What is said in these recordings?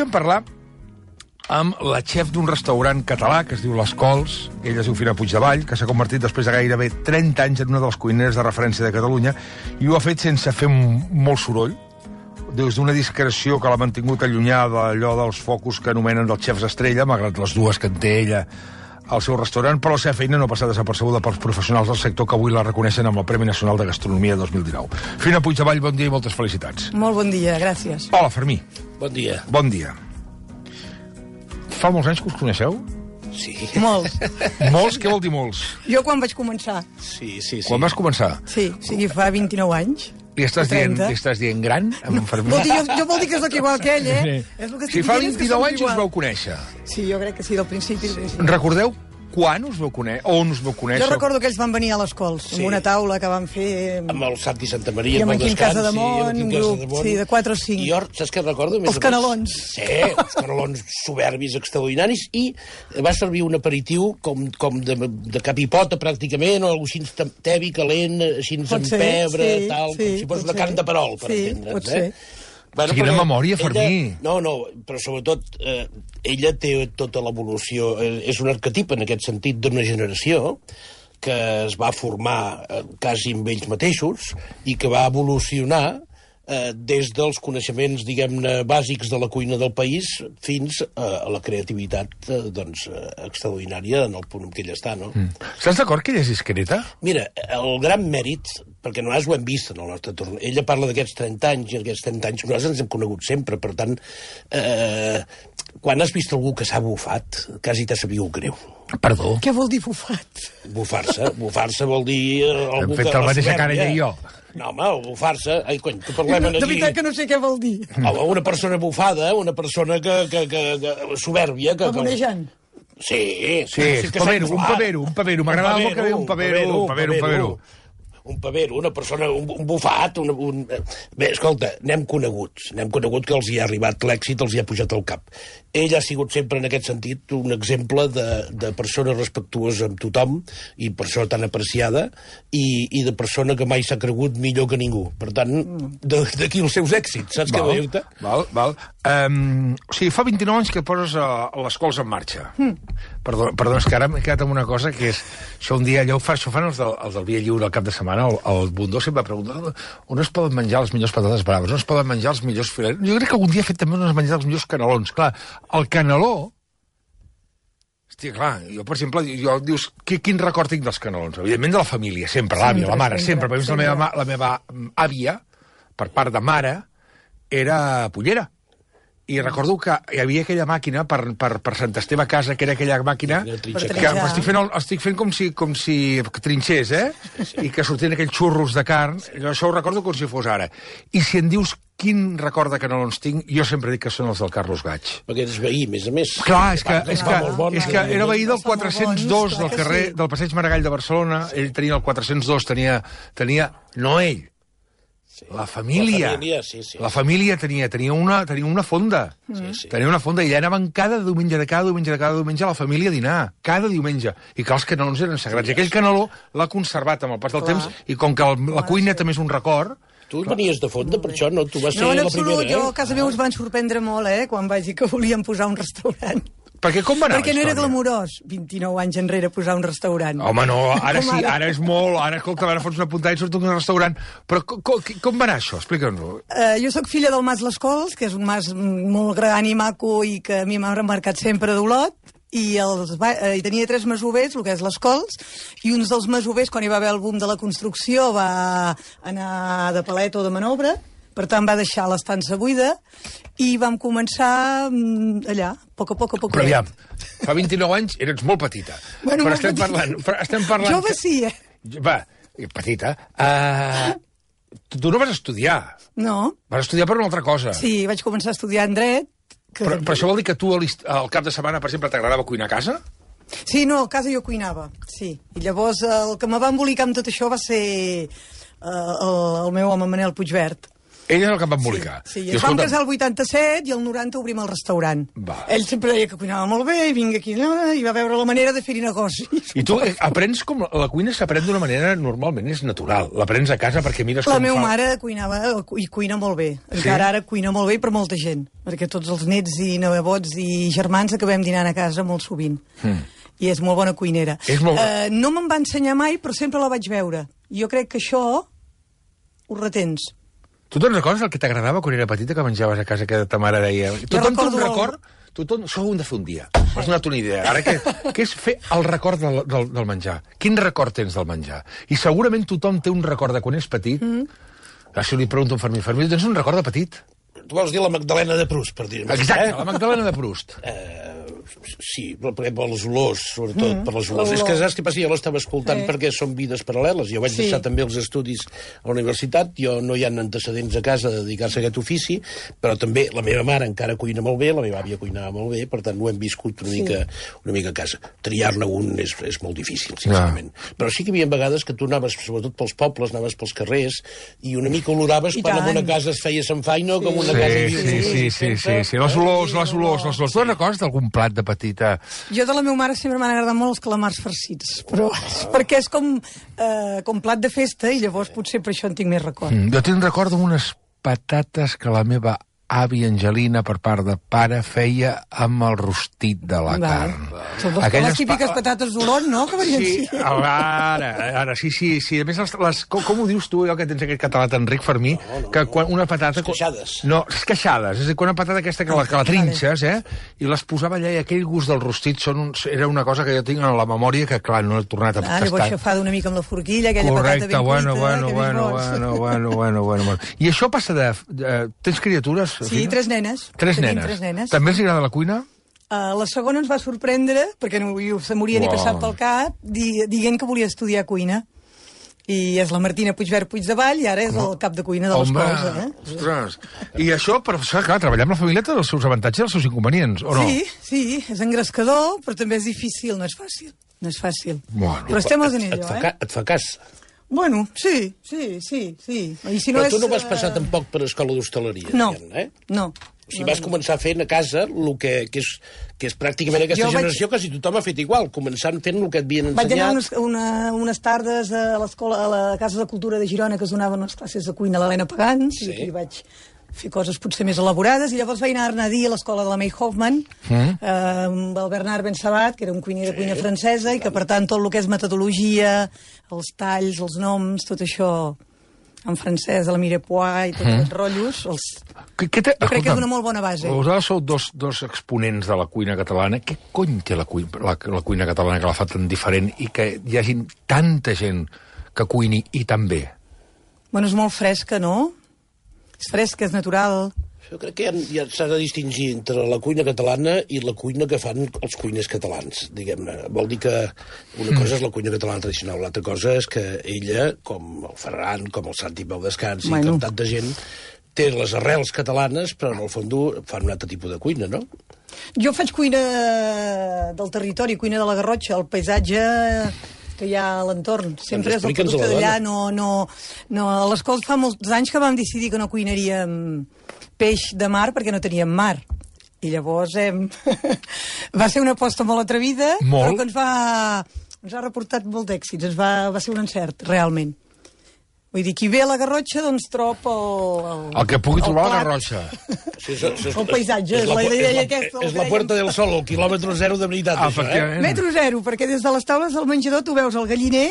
vam parlar amb la xef d'un restaurant català que es diu Les Cols, ella es diu Fina Puigdevall, que s'ha convertit després de gairebé 30 anys en una de les cuineres de referència de Catalunya, i ho ha fet sense fer molt soroll, des d'una discreció que l'ha mantingut allunyada d'allò dels focus que anomenen dels xefs estrella, malgrat les dues que en té ella al seu restaurant, però la seva feina no ha passat desapercebuda pels professionals del sector que avui la reconeixen amb el Premi Nacional de Gastronomia 2019. Fina Puigdevall, bon dia i moltes felicitats. Molt bon dia, gràcies. Hola, Fermí. Bon dia. Bon dia. Fa molts anys que us coneixeu? Sí. Molts. Molts? Què vol dir molts? Jo quan vaig començar. Sí. Quan vas començar? Sí, o sigui, fa 29 anys. Li estàs dient gran, amb en Fermí? Vol dir, jo vol dir que sóc igual que ell, eh? És el que Si fa 29 anys us vau conèixer. Sí, jo crec que sí, del principi. Recordeu quan us vau conèixer? On us vau conèixer? Jo recordo que ells van venir a les Cols, amb una taula que van fer... Amb el Santi Santa Maria, i amb el en Quim Descans, Casademont, un grup, sí, de 4 o 5. I jo, saps què recordo? Els canelons. Sí, els canelons soberbis, extraordinaris, i va servir un aperitiu com de cap i pota, pràcticament, o alguna cosa així tebi, calent, així amb pebre, tal, com si fos una carn de perol, per entendre's. Pot ser. Bueno, quina memòria, Fermí. No, però sobretot ella té tota l'evolució, és un arquetip en aquest sentit d'una generació que es va formar quasi amb ells mateixos i que va evolucionar des dels coneixements, diguem-ne, bàsics de la cuina del país fins a la creativitat extraordinària en el punt en què ella està, no? Estàs d'acord que ella és discreta? Mira, el gran mèrit, perquè nosaltres ho hem vist en el nostre torn, ella parla d'aquests 30 anys, i aquests 30 anys nosaltres ens hem conegut sempre, per tant, quan has vist algú que s'ha bufat, quasi t'ha sabut greu. Perdó? Què vol dir bufat? Bufar-se vol dir... Hem fet la mateixa cara ella i jo. No, home, bufar-se... Ai, cony, que parlem aquí... De veritat que no sé què vol dir. Home, una persona bufada, una persona que soberbia... Pamonejant. Sí, un pavero. M'agradava molt que deia un pavero. Un pavero, una persona, un bufat, Bé, escolta, n'hem conegut que els hi ha arribat l'èxit, els hi ha pujat al cap. Ell ha sigut sempre, en aquest sentit, un exemple de persona respectuosa amb tothom, i per això tan apreciada, i de persona que mai s'ha cregut millor que ningú. Per tant, d'aquí els seus èxits, saps què vull dir-te? Val. O sigui, fa 29 anys que poses les Cols en marxa. Perdona, és que ara m'he quedat amb una cosa, que és... Això un dia, allò ho fan els del Via Lliure al cap de setmana, el Bundó sempre pregunta on es poden menjar les millors patates braves, on es poden menjar els millors filets. Jo crec que algun dia ha fet també on es menjar els millors canelons. Clar, el caneló... Hòstia, clar, jo, per exemple, dius, quin record tinc dels canelons? Evidentment de la família, sempre, l'àvia, la mare, sempre. Per exemple, la meva àvia, per part de mare, era pollera. I recordo que hi havia aquella màquina per Sant Esteve a casa, que era aquella màquina que estic fent com si trinxés, i que sortien aquells xurros de carn. Això ho recordo com si fos ara. I si em dius quin record de canelons tinc, jo sempre dic que són els del Carlos Gaig. Perquè eres veí, a més. Clar, és que era veí del 402 del carrer del Passeig Maragall de Barcelona. Ell tenia el 402, tenia no ell, la família. La família tenia una fonda. Tenia una fonda, i allà anaven cada diumenge la família a dinar. Cada diumenge. I que els canelons eren sagrats. I aquell caneló l'ha conservat amb el pas del temps, i com que la cuina també és un record... Tu venies de fonda, per això, no? Tu vas ser la primera, No, en absolut, jo a casa meva us van sorprendre molt, quan vaig dir que volíem posar un restaurant. Perquè com va anar Perquè no era glamurós, 29 anys enrere, posar un restaurant. Home, no, ara sí, ara és molt... Ara, escolta, ara fots una puntada i surt un restaurant. Però com va anar això? Explica'ns-ho. Jo sóc filla del Mas Les Cols, que és un mas molt gran i maco i que a mi m'ha remarcat sempre d'Olot, i tenia 3 masovers, el que és Les Cols, i uns dels masovers, quan hi va haver el boom de la construcció, va anar de palet o de manobre, per tant va deixar l'estança buida, i vam començar allà, a poc a poc. Però aviam, fa 29 anys eres molt petita. Bueno, però estem parlant... Jove sí, Va, petita. Tu no vas estudiar. No. Vas estudiar per una altra cosa. Sí, vaig començar a estudiar en dret. Però això vol dir que tu al cap de setmana, per exemple, t'agradava cuinar a casa? Sí, no, a casa jo cuinava, sí. I llavors el que me va embolicar amb tot això va ser el meu home Manel Puigvert. Ell és el que em va embolicar. Sí, ens vam casar el 87 i el 90 obrim el restaurant. Ell sempre deia que cuinava molt bé, i vinga aquí, i va veure la manera de fer-hi negoci. I tu aprens com... La cuina s'aprèn d'una manera, normalment, és natural. L'aprens a casa perquè mires com fa... La meva mare cuinava i cuina molt bé. Encara ara cuina molt bé per molta gent, perquè tots els nets i nebots i germans acabem dinant a casa molt sovint. I és molt bona cuinera. No me'n va ensenyar mai, però sempre la vaig veure. Jo crec que això ho retens. Tu te'n recordes el que t'agradava quan era petita, que menjaves a casa, que ta mare deia... Tothom té un record... Això ho hem de fer un dia. M'has donat una idea. Ara, què és fer el record del menjar? Quin record tens del menjar? I segurament tothom té un record de quan és petit. Si li pregunto a un Fermí, tens un record de petit? Tu vols dir la Magdalena de Proust, per dir-ho. Exacte, la Magdalena de Proust. Sí, per les olors, sobretot per les olors. És que saps què passa? Jo l'estava escoltant perquè són vides paral·leles. Jo vaig deixar també els estudis a la universitat, jo no hi ha antecedents a casa de dedicar-se a aquest ofici, però també la meva mare encara cuina molt bé, la meva àvia cuinava molt bé, per tant ho hem viscut una mica a casa. Triar-ne un és molt difícil, sincerament. Però sí que hi havia vegades que tu anaves, sobretot pels pobles, anaves pels carrers, i una mica oloraves quan en una casa es feia Sant Faino, com una casa... Sí, les olors. Tu recordes d'algun plat de petita? Jo de la meva mare sempre m'han agradat molt els calamars farcits, però perquè és com plat de festa i llavors potser per això en tinc més record. Jo tinc record d'unes patates que la meva àvia Angelina, per part de pare, feia amb el rostit de la carn. Són les típiques patates d'Olot, no? Sí, ara, sí. A més, com ho dius tu, allò que tens aquest català tan ric, Fermí, que quan una patata... Esqueixades. No, esqueixades. És a dir, quan una patata aquesta que la trinxes, i les posava allà, i aquell gust del rostit era una cosa que jo tinc en la memòria que, clar, no he tornat a tastar. Llavors xafada una mica amb la forquilla, aquella patata ben cuita. Bueno. I això passa de... Tens criatures? Sí, 3 nenes. Tres nenes. També els agrada la cuina? La segona ens va sorprendre, perquè no se moria ni passat pel cap, dient que volia estudiar cuina. I és la Martina Puigvert Puigdevall i ara és el cap de cuina de l'escola. Ostres! I això, però, clar, treballar amb la família té els seus avantatges i els seus inconvenients, o no? Sí, és engrescador, però també és difícil, no és fàcil. Bueno. Però estem als anells, Et fa cas. Bueno, sí. I si però tu no vas passar tampoc per escola d'hostaleria. No. O sigui, vas començar fent a casa el que és pràcticament aquesta generació, quasi tothom ha fet igual, començant fent el que et havien ensenyat. Vaig anar unes tardes a l'escola, a la Casa de Cultura de Girona, que es donaven unes classes de cuina a l'Helena Pagans, i aquí vaig fer coses potser més elaborades, i llavors vaig anar a dir a l'escola de la May Hoffman, amb el Bernard Bensabat, que era un cuiner de cuina francesa, i que, per tant, tot el que és metodologia, els talls, els noms, tot això en francès, a la Mirepoix i tots els rotllos, jo crec que és una molt bona base. Vosaltres sou dos exponents de la cuina catalana. Què cony té la cuina catalana que la fa tan diferent i que hi hagi tanta gent que cuini i tan bé? Bueno, és molt fresca, no? És fresca, és natural. Jo crec que ja s'ha de distingir entre la cuina catalana i la cuina que fan els cuiners catalans, diguem-ne. Vol dir que una cosa és la cuina catalana tradicional, l'altra cosa és que ella, com el Ferran, com el Santi Pau Descans, i com tanta gent, té les arrels catalanes, però en el fons fan un altre tipus de cuina, no? Jo faig cuina del territori, cuina de la Garrotxa, el paisatge que hi ha a l'entorn. Sempre és el producte d'allà. A l'escola fa molts anys que vam decidir que no cuinaríem peix de mar perquè no teníem mar. I llavors va ser una aposta molt atrevida, però que ens ha reportat molt d'èxits. Va ser un encert, realment. Vull dir, qui ve a la Garrotxa, doncs trob el que pugui trobar a la Garrotxa. El paisatge, és la idea aquesta. És la Puerta del Sol, el quilòmetre zero de veritat, això, Metro zero, perquè des de les taules del menjador tu veus el galliner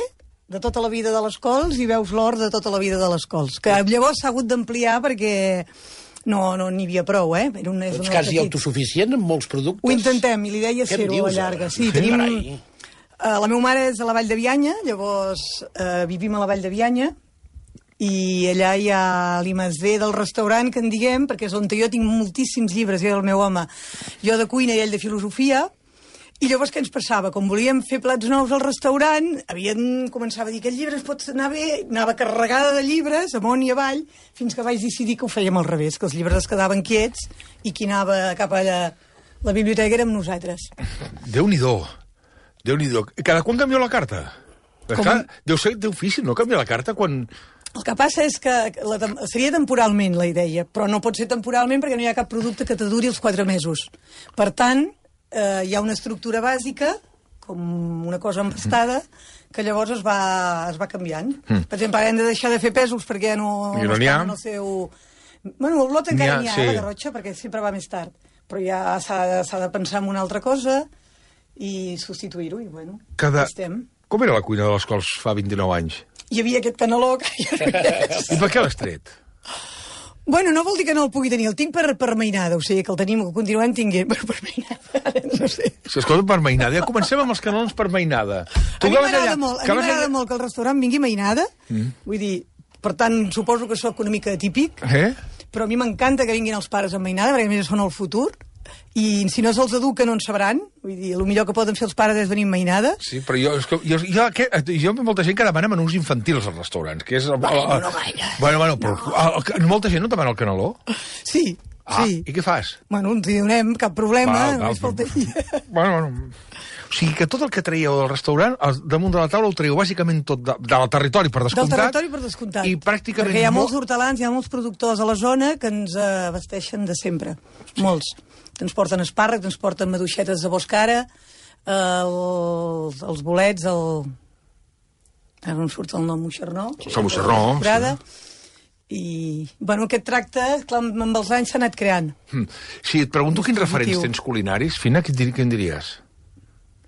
de tota la vida de les cols i veus l'hort de tota la vida de les cols, que llavors s'ha hagut d'ampliar perquè no n'hi havia prou, Ets quasi autosuficient en molts productes? Ho intentem, i l'idea és fer-ho a la llarga. Sí, tenim... La meva mare és a la Vall de Bianya, llavors vivim a la Vall de Bianya, i allà hi ha l'I+D del restaurant, que en diguem, perquè és on jo tinc moltíssims llibres, jo i el meu home, jo de cuina i ell de filosofia, i llavors què ens passava? Com volíem fer plats nous al restaurant, començava a dir que el llibre es pot anar bé, anava carregada de llibres, amunt i avall, fins que vaig decidir que ho fèiem al revés, que els llibres es quedaven quiets i qui anava cap a la biblioteca érem nosaltres. Déu-n'hi-do. Cada quan canvieu la carta? Deu ser difícil, no, canviar la carta quan... El que passa és que seria temporalment, la idea, però no pot ser temporalment perquè no hi ha cap producte que te duri els 4 mesos. Per tant, hi ha una estructura bàsica, com una cosa empastada, que llavors es va canviant. Per exemple, hem de deixar de fer pèsols perquè ja no estan en el seu... Bueno, el blot encara n'hi ha, la garrotxa, perquè sempre va més tard. Però ja s'ha de pensar en una altra cosa i substituir-ho, i bueno, estem. Com era la cuina de les Cols fa 29 anys? Hi havia aquest caneló que ja no hi és. I per què l'has tret? Bueno, no vol dir que no el pugui tenir, el tinc per mainada, o sigui que el tenim, el continuem tinguent per mainada, no sé. Si escolta, per mainada, ja comencem amb els canelons per mainada. A mi m'agrada molt que el restaurant vingui mainada, vull dir, per tant, suposo que sóc una mica típic, però a mi m'encanta que vinguin els pares amb mainada, perquè a més són el futur, i si no se'ls educa no en sabran, vull dir, el millor que poden fer els pares és venir amb mainada. Sí, però jo molta gent que demana menús infantils als restaurants, que és... Bueno, no gaire. Bueno, però molta gent no demana el caneló? Sí, sí. I què fas? Bueno, ens hi donem, cap problema, només faltaria. Bueno... O sigui que tot el que traieu del restaurant, damunt de la taula ho traieu bàsicament tot del territori, per descomptat. Del territori, per descomptat. I pràcticament... Perquè hi ha molts hortelans, hi ha molts productors a la zona que ens abasteixen de sempre. Molts. Ens porten espàrrec, ens porten maduixetes de boscara, els bolets, ara no em surt el nom, moixernó. El moixernó, I, bueno, aquest tracte, clar, amb els anys s'ha anat creant. Si et pregunto quins referents tens culinaris, Fina, què en diries?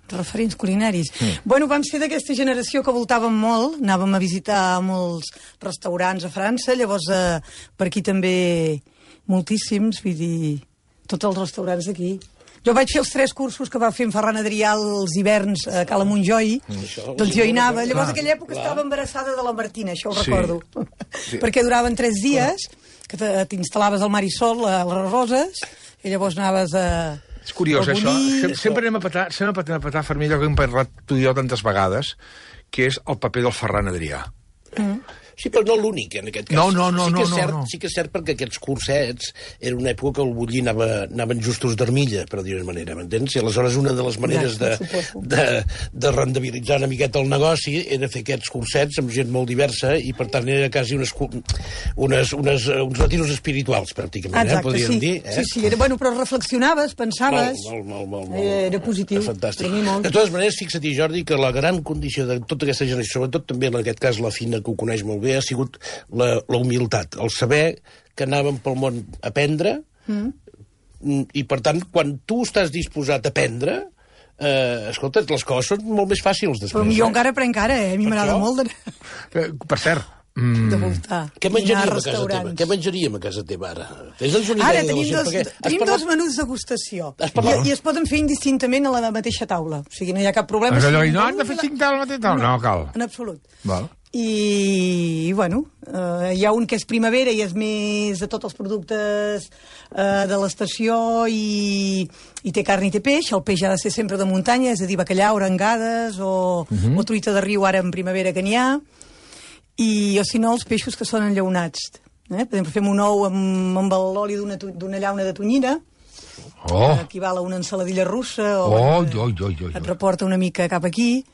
Referents culinaris. Bueno, vam ser d'aquesta generació que voltàvem molt, anàvem a visitar molts restaurants a França, llavors per aquí també moltíssims, vull dir, tots els restaurants d'aquí. Jo vaig fer els 3 cursos que va fer en Ferran Adrià els hiverns a Cala Montjoi, doncs jo hi anava. Llavors, en aquella època estava embarassada de la Martina, això ho recordo. Perquè duraven 3 dies, que t'instal·laves al Marisol, a les Roses, i llavors anaves a... És curiós, això. Sempre anem a petar, Fermí, allò que hem parlat tu i jo tantes vegades, que és el paper del Ferran Adrià. Sí, però no l'únic, en aquest cas. No. Sí que és cert perquè aquests cursets era una època que el Bullí anaven justos d'armilla, per dir-ho d'una manera, m'entens? I aleshores una de les maneres de rendibilitzar una miqueta el negoci era fer aquests cursets amb gent molt diversa i, per tant, era quasi uns retiros espirituals, pràcticament, podríem dir. Sí, bueno, però reflexionaves, pensaves... Molt. Era positiu. Fantàstic. De totes maneres, fixa-t'hi, Jordi, que la gran condició de tota aquesta generació, sobretot també en aquest cas la Fina, que ho coneix molt bé, ha sigut la humilitat, el saber que anàvem pel món a aprendre i, per tant, quan tu estàs disposat a aprendre, escolta, les coses són molt més fàcils després. Però jo encara aprenc ara, a mi m'agrada molt Per cert, de voltar. Què menjaríem a casa teva ara? Ara tenim 2 menús de degustació i es poden fer indistintament a la mateixa taula, o sigui, no hi ha cap problema. No han de fer 5 taules a la mateixa taula? No cal. En absolut. I, bueno, hi ha un que és primavera i és més de tots els productes de l'estació i té carn i té peix. El peix ha de ser sempre de muntanya, és a dir, bacallà, arengades o truita de riu ara en primavera que n'hi ha. O si no, els peixos que són enllaunats. Per exemple, fem un ou amb l'oli d'una llauna de tonyina, que equival a una ensaladilla russa, et reporta una mica cap aquí.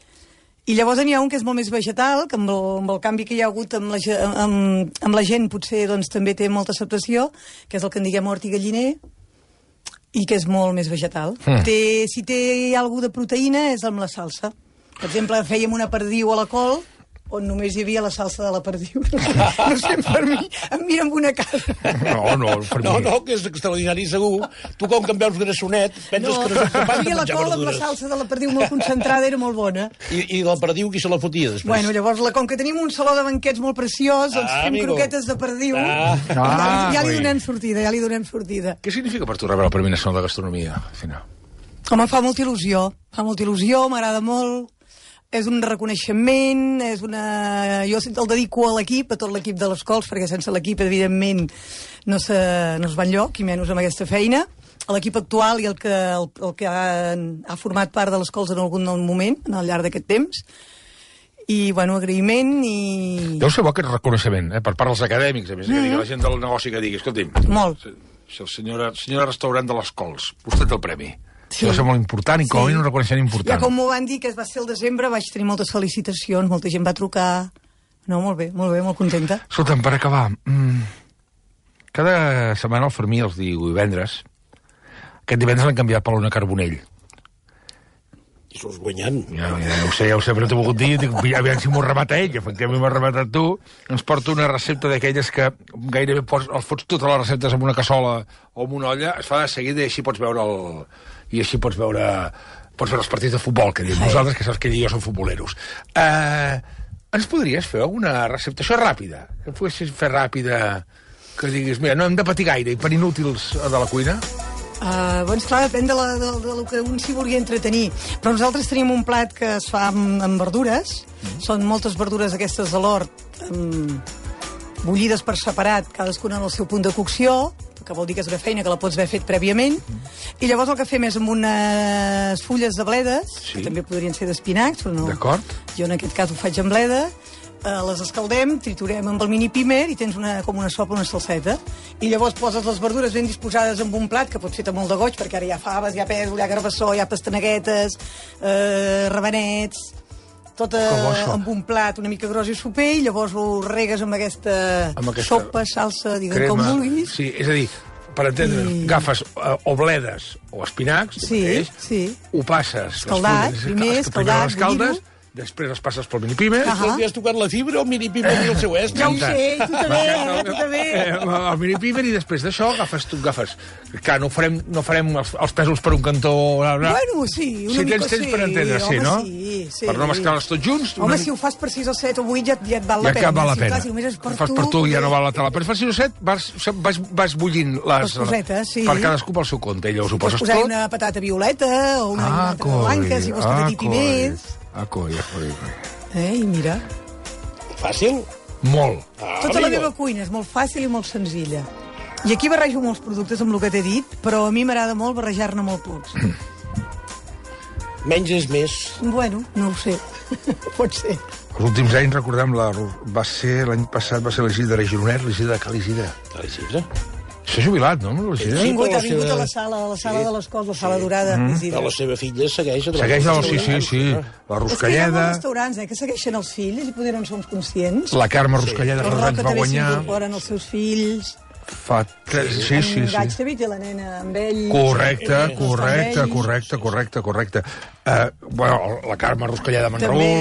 I llavors n'hi ha un que és molt més vegetal, que amb el canvi que hi ha hagut amb la gent potser doncs, també té molta acceptació, que és el que en diguem hort i galliner, i que és molt més vegetal. Si té alguna de proteïna és amb la salsa. Per exemple, fèiem una perdiu a la col, on només hi havia la salsa de la perdiu. No sé, per mi, em mira amb una cara. No, que és extraordinari segur. Tu, com que em veus grassonet, penses que no ets capaç de menjar la col amb la salsa de la perdiu molt concentrada era molt bona. I la perdiu qui se la fotia després? Bueno, llavors, com que tenim un saló de banquets molt preciós, doncs fem croquetes de perdiu. Ja li donem sortida, Què significa per tu rebre el Premi Nacional de Gastronomia, Fina? Home, fa molta il·lusió, m'agrada molt. És un reconeixement, jo el dedico a l'equip, a tot l'equip de les Cols, perquè sense l'equip, evidentment, no es va enlloc, i menys amb aquesta feina. A l'equip actual i el que ha format part de les Cols en algun moment, al llarg d'aquest temps. I, bueno, agraïment i... Deu ser bo aquest reconeixement, per part dels acadèmics, a més, que digui la gent del negoci que digui, escolti'm... Molt. Senyora restaurant de les Cols, vostè té el premi. Sí. Això és molt important i com a mínim un reconeixement important. Ja com m'ho van dir, que va ser el desembre, vaig tenir moltes felicitacions, molta gent va trucar, No, molt bé, molt contenta. Escolta'm, per acabar, cada setmana el Fermí els divendres, aquest divendres l'han canviat per l'Ona Carbonell. I surts guanyant. Ja ho sé, però no t'ho he volgut dir. Dic, aviam si m'ho remata ell, efectivament m'ho ha rematat tu. Ens porta una recepta d'aquelles que gairebé els fots totes les receptes en una cassola o en una olla, es fa de seguida i així pots veure els partits de futbol, que diem nosaltres, que saps que ell i jo som futboleros. Ens podries fer alguna recepta? Això és ràpida. Que poguessis fer ràpida, que diguis, mira, no hem de patir gaire i per inútils de la cuina. Clar, depèn del que un s'hi vulgui entretenir. Però nosaltres tenim un plat que es fa amb verdures. Són moltes verdures aquestes de l'hort, bullides per separat, cadascuna en el seu punt de cocció, que vol dir que és una feina que la pots haver fet prèviament. I llavors el que fem és amb unes fulles de bledes, que també podrien ser d'espinacs, però no. D'acord. Jo en aquest cas ho faig amb bleda. Les escaldem, triturem amb el mini pimer i tens com una sopa, una salseta. I llavors poses les verdures ben disposades en un plat, que pot fer molt de goig, perquè ara hi ha faves, hi ha pèsol, hi ha garbassó, hi ha pastaneguetes, rabanets, tot amb un plat una mica gros i soper, i llavors ho regues amb aquesta sopa, salsa, diguem com vulguis. Sí, és a dir, per entendre'ns, agafes o bledes o espinacs, ho passes... Escaldat, primer, escaldat, bullir-ho. Després les passes pel minipimer. Li has tocat la fibra o el minipimer i el seu est? Ja ho sé, tu també. El minipimer i després d'això agafes... Clar, no farem els pèsols per un cantó... Bueno, sí, una mica sí. Si tens per entendre, sí, no? Sí. Per no mesclar-les tots junts... Home, si ho fas per 6 o 7 o 8 ja et val la pena. Ja val la pena. Si només és per fas per tu ja no val la tela. Però fas 6 o 7 vas bullint les cosetes, sí. Per cadascú pel seu compte. I llavors ho poses tot. Pots posar una patata violeta o una patata blanca, si vols que t'hi més. Coi. I mira. Fàcil? Molt. Tota la meva cuina és molt fàcil i molt senzilla. I aquí barrejo molts productes amb el que t'he dit, però a mi m'agrada molt barrejar-ne molt pocs. Menys és més. Bueno, no ho sé. Pot ser. Els últims anys, recordem, l'any passat va ser l'Isidre Gironet, l'Isidre de Cal Isidre. Cal Isidre? S'ha jubilat, no? Ha vingut a la sala de les Cols, la sala dorada. Però la seva filla segueix a sí. La Ruscalleda. És que hi ha molts restaurants que segueixen els fills i poder no som conscients. La Carme Ruscalleda fa 2 anys va guanyar. Els s'incorporen els seus fills. Sí. En Gaig també té la nena amb ell. Correcte. La Carme Ruscalleda de Manragú.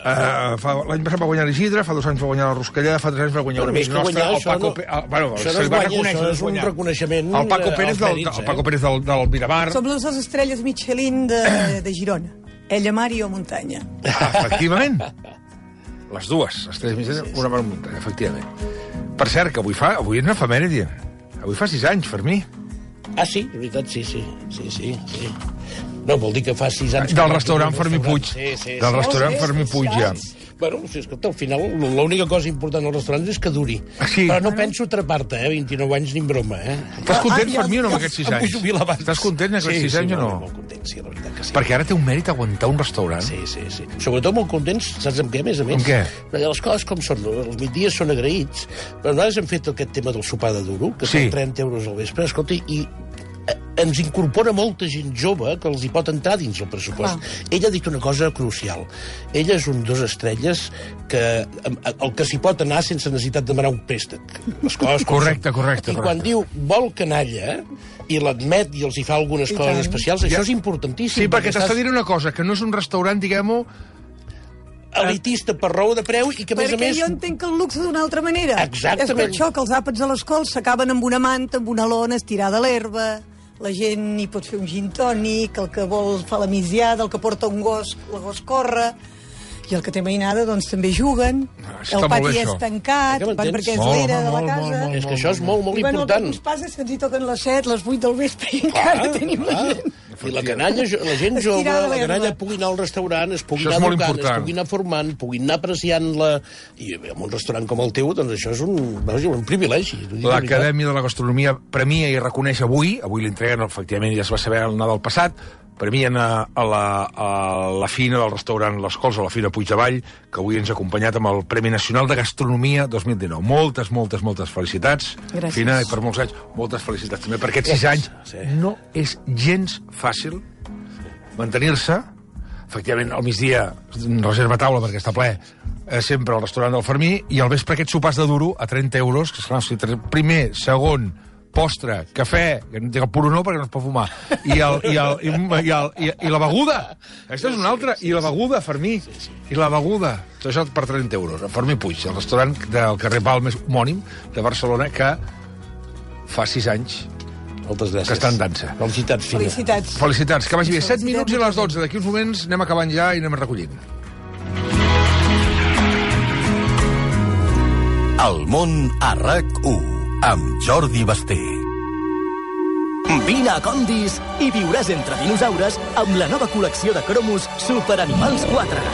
L'any passat va guanyar l'Isidre, fa 2 anys va guanyar la Ruscalleda, fa 3 anys va guanyar un amic nostre, el Paco Pérez. Això no es guanya, això és un reconeixement. El Paco Pérez del Miramar. Som les 2 estrelles Michelin de Girona. Ella mar i jo muntanya. Efectivament. Les dues estrelles Michelin, una mar i muntanya, efectivament. Per cert, que avui és una efemèride. Avui fa 6 anys, Fermí. Ah, sí? De veritat, sí. No, vol dir que fa 6 anys... Del restaurant Fermí Puig. Del restaurant Fermí Puig, ja. Bueno, escolta, al final l'única cosa important als restaurants és que duri. Però no penso atrapar-te, 29 anys ni en broma, Estàs content, Fermí, o no, amb aquests 6 anys? Em vull jubilar abans. Estàs content amb aquests 6 anys o no? Molt content, sí, la veritat que sí. Perquè ara té un mèrit aguantar un restaurant. Sí. Sobretot molt contents, saps amb què, a més? Amb què? Perquè les coses com són, els migdies són agraïts, però nosaltres hem fet aquest tema del sopar de duro, que són 30 euros al vespre, escolta, i ens incorpora molta gent jove que els hi pot entrar dins el pressupost. Ella ha dit una cosa crucial. Ella és un 2 estrelles que el que s'hi pot anar sense necessitat de demanar un préstec. Les coses correcte. I quan diu vol canalla i l'admet i els hi fa algunes coses especials, això és importantíssim. Sí, perquè t'està dient una cosa, que no és un restaurant, diguem-ho, elitista per raó de preu i que, a més a més... Perquè jo entenc el luxe d'una altra manera. Exactament. És per això que els àpats a les cols s'acaben amb una manta, amb una lona, estirada a l'herba. La gent hi pot fer un gin tònic, el que vol fa la misiada, el que porta un gos, el gos corre, i el que té mainada, doncs, també juguen. El pati és tancat, perquè és l'era de la casa. És que això és molt important. El que ens passa és que ens hi toquen les 7, les 8 del vespre i encara tenim la gent. I la canalla, la gent jove, la canalla pugui anar al restaurant, es pugui anar educant, es pugui anar formant, pugui anar apreciant-la. I en un restaurant com el teu, doncs això és un privilegi. L'Acadèmia de la Gastronomia premia i reconeix avui l'entreguen, efectivament, ja es va saber el Nadal passat, premien a la fina del restaurant Les Cols, a la fina Puigdevall, que avui ens ha acompanyat amb el Premi Nacional de Gastronomia 2019. Moltes felicitats. Gràcies. Fina, i per molts anys, moltes felicitats també, perquè aquests 6 anys no és gens fàcil mantenir-se. Efectivament, al migdia reserva taula perquè està ple, sempre al restaurant del Fermí, i al vespre aquests sopars de duro a 30 euros, que esclar, primer, segon, postre, cafè, que no dic el puro no perquè no es pot fumar, i la beguda. Aquesta és una altra. I la beguda, Fermí. I la beguda. Tot això per 30 euros. Fermí Puig, el restaurant del carrer Balmes homònim de Barcelona, que fa 6 anys Moltes gràcies. que està en dansa. Felicitats, Fina. Felicitats. Felicitats. Que vagi bé. 7 minuts i les 12. D'aquí uns moments anem acabant ja i anem recollint. El món a RAC1 amb Jordi Basté. Vine a Condis i viuràs entre dinosaures amb la nova col·lecció de cromos Super Animals 4.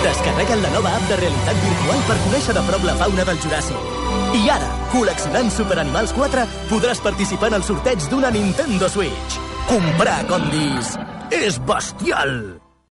Descarrega't la nova app de realitat virtual per conèixer de prop la fauna del Juràssic. I ara, col·leccionant Super Animals 4, podràs participar en el sorteig d'una Nintendo Switch. Comprar a Condis és bestial!